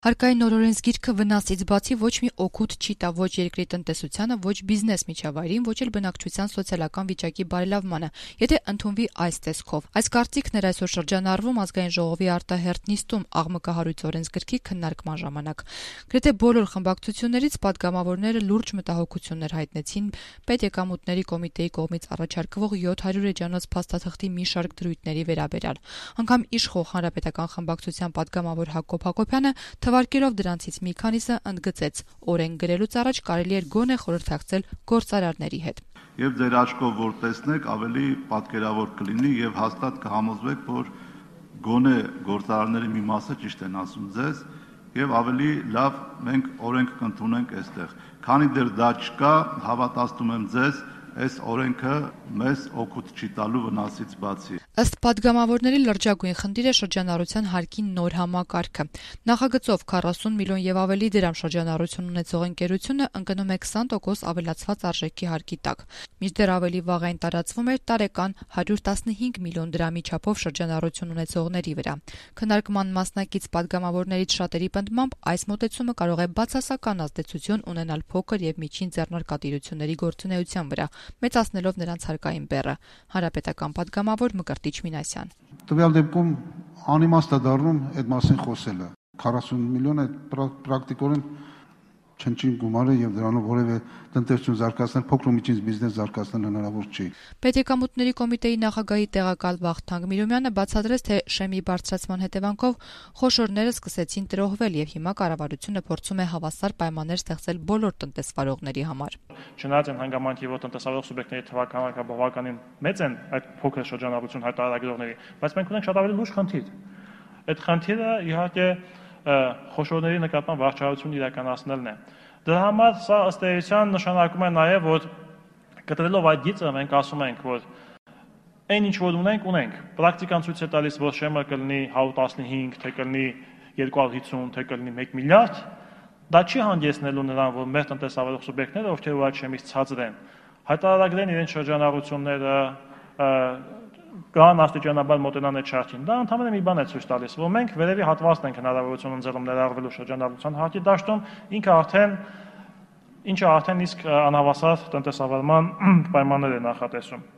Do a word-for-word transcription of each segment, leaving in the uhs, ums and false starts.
Հարկային նորօրենս գիրքը վնասից բացի ոչ մի օգուտ չի տա ոչ երկրի տնտեսությանը, ոչ բիզնես միջավայրին, ոչ էլ բնակչության սոցիալական վիճակի բարելավմանը, եթե ընդունվի այս տեսքով։ Այս կարծիքն էր այսօր շրջանառվում Ազգային ժողովի արտահերթ նիստում աղմկահարույց օրենսգրքի քննարկման ժամանակ։ Գրեթե բոլոր խմբակցություններից պատգամավորները լուրջ մտահոգություններ հայտնեցին պետեկամուտների կոմիտեի կողմից առաջարկվող յոթ հարյուր էջանոց փաստաթղթի մի շարք դրույթների վերաբերյալ։ Անգամ իշխող Հանրապետական խմբակցության պատգամավոր Հակոբ Հակոբյանը թվարկելով դրանցից մի քանիսը ընդգծեց, օրենք գրելուց առաջ կարելի էր գոնե խորհրդակցել գործարարների հետ։ Եվ ձեր աչքով որ տեսնեք, ավելի պատկերավոր կլինի եւ հաստատ կհամոզվեք, որ գոնե գործարարների մի մասը ճիշտ են ասում ձեզ եւ ավելի լավ մենք օրենք կընդունենք այստեղ։ Քանի դեռ դա չկա, հավատացնում եմ ձեզ, այս օրենքը մեզ օգուտ չի տալու վնասից բացի։ Ըստ պատգամավորների լրջագույն խնդիրը շրջանառության հարկի նոր համակարգը։ Նախագծով քառասուն միլիոն եւ ավելի դրամ շրջանառություն ունեցող ընկերությունը ընկնում է քսան տոկոս ավելացված արժեքի հարկի տակ։ Մինչդեռ ավելի վաղ այն տարածվում էր տարեկան հարյուր տասնհինգ միլիոն դրամի չափով շրջանառություն ունեցողների վրա։ Քննարկման մասնակից պատգամավորներից շատերի պնդմամբ այս մոտեցումը կարող է բացասական ազդեցություն ունենալ փոքր եւ միջին ձեռնարկատիրությունների գործունեության վրա, մեծացնելով նրանց հարկային բեռը։ Հանրապետական պատգամավոր Մկրտիչ Մինասյան։ Տվյալ դեպքում անիմաստ է դառնում այդ մասին խոսելը։ քառասուն միլիոն է պրակտիկորեն չնչին գումար է եւ դրանով որևէ տնտեսություն զարգացնել, փոքր ու միջին բիզնես զարգացնել հնարավոր չի։ Պետեկամուտների կոմիտեի նախագահի տեղակալ Վախթանգ Միրումյանը բացատրեց, թե շեմի բարձրացման հետևանքով խոշորները սկսեցին տրոհվել եւ հիմա կառավարությունը փորձում է հավասար պայմաններ ստեղծել բոլոր տնտեսվարողների համար։ Չնայած այն հանգամանքի, որ տնտեսվարող սուբյեկտների թվականակը բավականին մեծ են այդ փոքր շրջանառություն հայտարարագրողների, բայց մենք ունենք շատ ավելի լուրջ խնդիր։ Այդ խնդիրը իհարկե խոշորների նկատմամբ վարչարություն իրականացնելն է։ Դրա համար սա ըստ էության նշանակում է նաև, որ կտրելով այդ գիծը մենք ասում ենք, որ այն ինչ որ ունենք, ունենք։ Պրակտիկան ցույց է տալիս, որ շեմը կլինի հարյուր տասնհինգ, թե կլինի երկու հարյուր հիսուն, թե կլինի մեկ միլիարդ, դա չի հանգեցնելու նրան, որ մեր տնտեսավարող սուբյեկտները, ովքեր ու այդ շեմից ցածր են, հայտարարագրեն իրենց շրջանառությունները, կան աստիճանաբար մոտենան այդ շարքին։ Դա ընդհանրապես մի բան է ցույց տալիս, որ մենք վերևի հատվածն ենք հնարավորություն ընձեռում ներառվելու շրջանառության հարկի դաշտում, ինքը արդեն ինչը արդեն իսկ անհավասար տնտեսավարման պայմաններ է նախատեսում։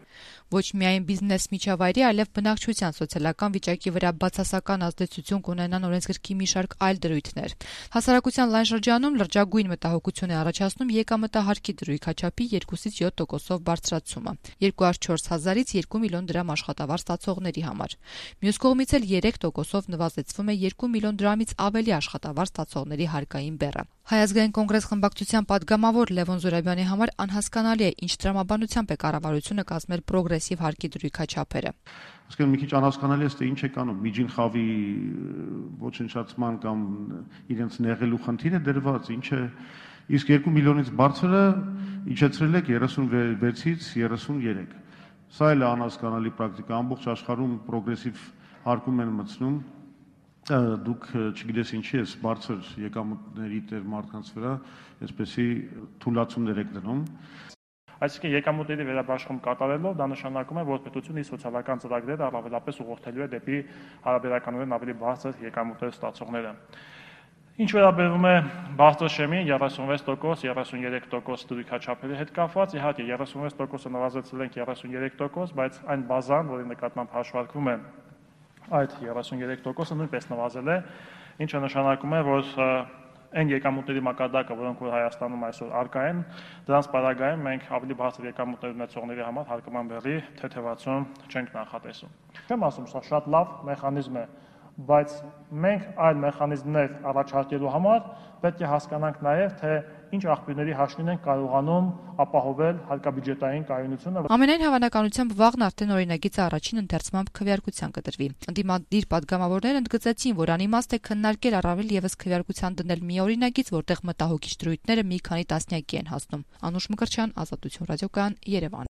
Ոչ միայն բիզնես միջավայրի, այլև բնակչության սոցիալական վիճակի վրա բացասական ազդեցություն կունենան օրենսգրքի մի շարք այլ դրույթներ։ Հասարակության լայն շրջանում լրջագույն մտահոգություն է առաջացնում եկամտահարկի դրույքաչափի երկուսից յոթ տոկոսով բարձրացումը, երկու հարյուր չորս հազարից երկու միլիոն դրամ աշխատավարձ ստացողների համար։ Մյուս կողմից էլ երեք տոկոսով նվազեցվում է երկու միլիոն դրամից ավելի աշխատավարձ ստացողների հարկային բեռը։ Հայ ազգային կոնգրես խմբակցության պատգամավոր Լևոն Զուրաբյանի համար անհասկանալի է, ինչ տրամաբանությամբ է կառավարությունը կազմել պրոգրեսիվ հարկի դրույքաչափերը։ Իսկ մի քիչ անհասկանալի է, թե ինչ է կանում, միջին խավի ոչնչացման կամ իրենց նեղելու խնդիրը դրված, ինչ է, իսկ երկու միլիոնից բարձրը իջեցրել եք երեսունվեցից երեսուներեք։ Սա էլ է անհասկանալի պրակտիկա, ամբողջ աշխարհում պրոգրեսիվ հարկում են մտցնում։ Դուք չգիտես ինչի է բարձր եկամուտների տեր մարդկանց վրա, այսպեսի թույլատումներ եք դնում։ Այսինքն եկամուտների վերաբաշխում կատարելով դա նշանակում է, որ պետությունը իր սոցիալական ծրագրերը առավելապես ուղղորդելու է դեպի հարաբերականորեն ավելի բարձր եկամուտներ ստացողները։ Ինչ վերաբերում է բարձր շեմին երեսունվեց տոկոս, երեսուներեք տոկոս դրույքաչափերի հետ կապված, իհարկե երեսունվեց տոկոսը նվազեցրել ենք երեսուներեք տոկոս, բայց այն բազան, որի նկատմամբ հաշվարկվում է այդ երեսուներեք տոկոսը նույնպես նվազել է, ինչը նշանակում է, որ այն եկամուտների մակարդակը, որոնք որ Հայաստանում այսօր առկա են, դրանց պարագայում մենք ավելի բարձր եկամուտներ ունեցողների համար հարկման բեռի թեթևացում չենք նախատեսում։ Չեմ ասում, սա շատ լավ մեխանիզմ է, բայց մենք այլ մեխանիզմներ առաջարկելու համար պետք է հասկանանք նաև, թե ինչ աղբյուրների հաշվին ենք կարողանում ապահովել հարկաբյուջետային կայունությունը։ Ամենայն հավանականությամբ վաղն արդեն օրինագիծը առաջին ընթերցմամբ քվեարկության կդրվի։ Ընդդիմադիր պատգամավորները ընդգծեցին, որ անիմաստ է քննարկել առավել եւս քվեարկության դնել մի օրինագիծ, որտեղ մտահոգիչ դրույթները մի քանի տասնյակի են հասնում։ Անուշ Մկրտչյան, Ազատություն ռադիոկայան, Երևան։